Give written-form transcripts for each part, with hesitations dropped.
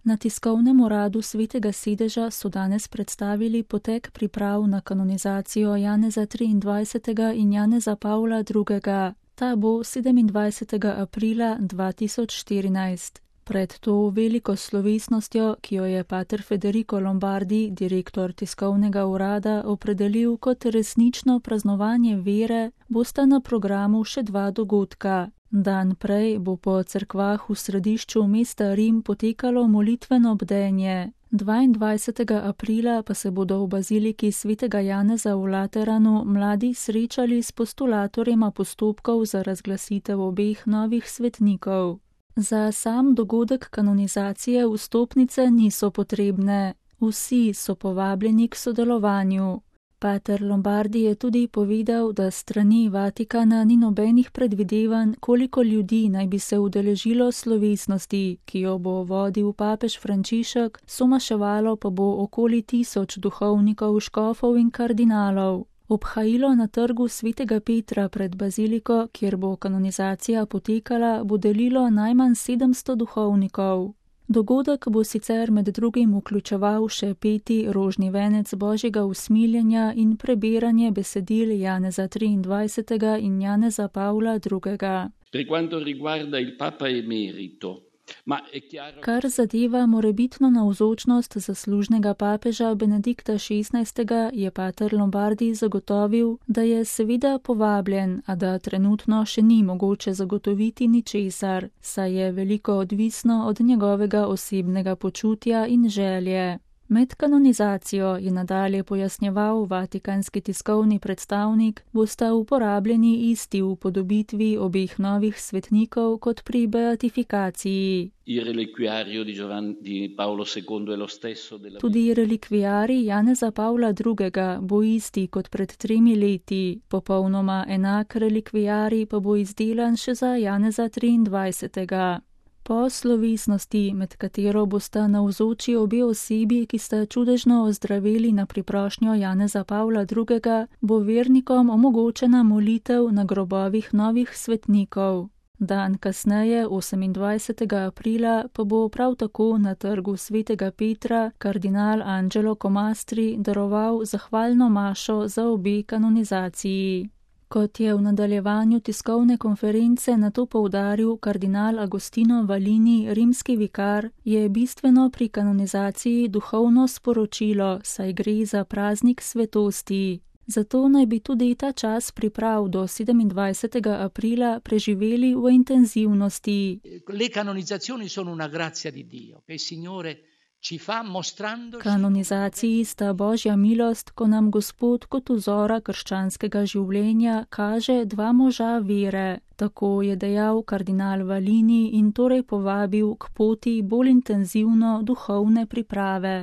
Na tiskovnem uradu Svetega sedeža so danes predstavili potek priprav na kanonizacijo Janeza 23. in Janeza Pavla II. Ta bo 27. aprila 2014. Pred to veliko slovesnostjo, ki jo je pater Federico Lombardi, direktor tiskovnega urada, opredelil kot resnično praznovanje vere, bosta na programu še dva dogodka. Dan prej bo po cerkvah v središču mesta Rim potekalo molitveno bdenje. 22. aprila pa se bodo v baziliki svetega Janeza v Lateranu mladi srečali s postulatorjema postopkov za razglasitev obeh novih svetnikov. Za sam dogodek kanonizacije vstopnice niso potrebne. Vsi so povabljeni k sodelovanju. Pater Lombardi je tudi povedal, da strani Vatikana ni nobenih predvidevanj, koliko ljudi naj bi se udeležilo slovesnosti, ki jo bo vodil papež Frančišek, somaševalo pa bo okoli 1000 duhovnikov, škofov in kardinalov. Obhajilo na trgu Svetega Petra pred baziliko, kjer bo kanonizacija potekala, bo delilo najmanj 700 duhovnikov. Dogodek bo sicer med drugim vključeval še peti rožni venec Božjega usmiljenja in prebiranje besedil Janeza 23. in Janeza Pavla II. Per quanto riguarda il Papa emerito, Kar zadeva morebitno navzočnost zaslužnega papeža Benedikta XVI., je pater Lombardi zagotovil, da je seveda povabljen, a da trenutno še ni mogoče zagotoviti ničesar, saj je veliko odvisno od njegovega osebnega počutja in želje. Med kanonizacijo, je nadalje pojasnjeval vatikanski tiskovni predstavnik, bosta uporabljeni isti upodobitvi obeh novih svetnikov kot pri beatifikaciji. Tudi relikviarij Janeza Pavla II. Bo isti kot pred 3 leti, popolnoma enak relikviarij pa bo izdelan še za Janeza 23. Po slovesnosti, med katero bosta navzoči obe osebi, ki sta čudežno ozdraveli na priprošnjo Janeza Pavla II., bo vernikom omogočena molitev na grobovih novih svetnikov. Dan kasneje, 28. aprila, pa bo prav tako na trgu Svetega Petra kardinal Angelo Comastri daroval zahvalno mašo za obe kanonizaciji. Kot je v nadaljevanju tiskovne konference nato poudaril kardinal Agostino Valini, rimski vikar, je bistveno pri kanonizaciji duhovno sporočilo, saj gre za praznik svetosti. Zato naj bi tudi ta čas priprav do 27. aprila preživeli v intenzivnosti. Le canonizzazioni sono una grazia di Dio, che il Signore Kanonizaciji sta Božja milost, ko nam Gospod kot vzora krščanskega življenja kaže dva moža vere. Tako je dejal kardinal Valini in torej povabil k poti bolj intenzivno duhovne priprave.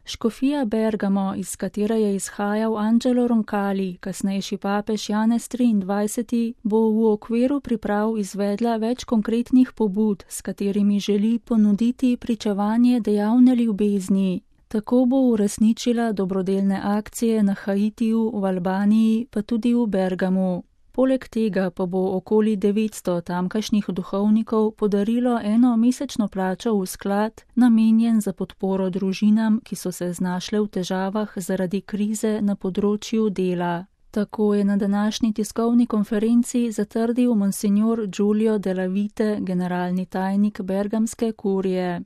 Škofija Bergamo, iz katere je izhajal Angelo Roncalli, kasnejši papež Janez 23., bo v okviru priprav izvedla več konkretnih pobud, s katerimi želi ponuditi pričevanje dejavne ljubezni. Tako bo uresničila dobrodelne akcije na Haitiju, v Albaniji, pa tudi v Bergamu. Poleg tega pa bo okoli 900 tamkajšnjih duhovnikov podarilo eno mesečno plačo v sklad, namenjen za podporo družinam, ki so se znašle v težavah zaradi krize na področju dela. Tako je na današnji tiskovni konferenci zatrdil monsignor Giulio Della Vite, generalni tajnik bergamske kurije.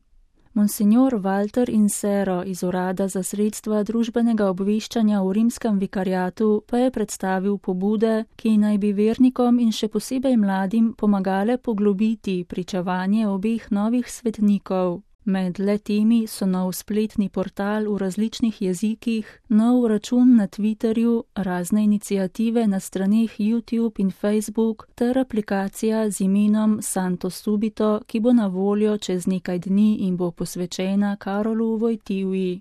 Monsignor Walter Insero iz Urada za sredstva družbenega obveščanja v rimskem vikariatu pa je predstavil pobude, ki naj bi vernikom in še posebej mladim pomagale poglobiti pričevanje obeh novih svetnikov. Med le-temi so nov spletni portal v različnih jezikih, nov račun na Twitterju, razne iniciative na straneh YouTube in Facebook ter aplikacija z imenom Santo Subito, ki bo na voljo čez nekaj dni in bo posvečena Karolu Wojtyły.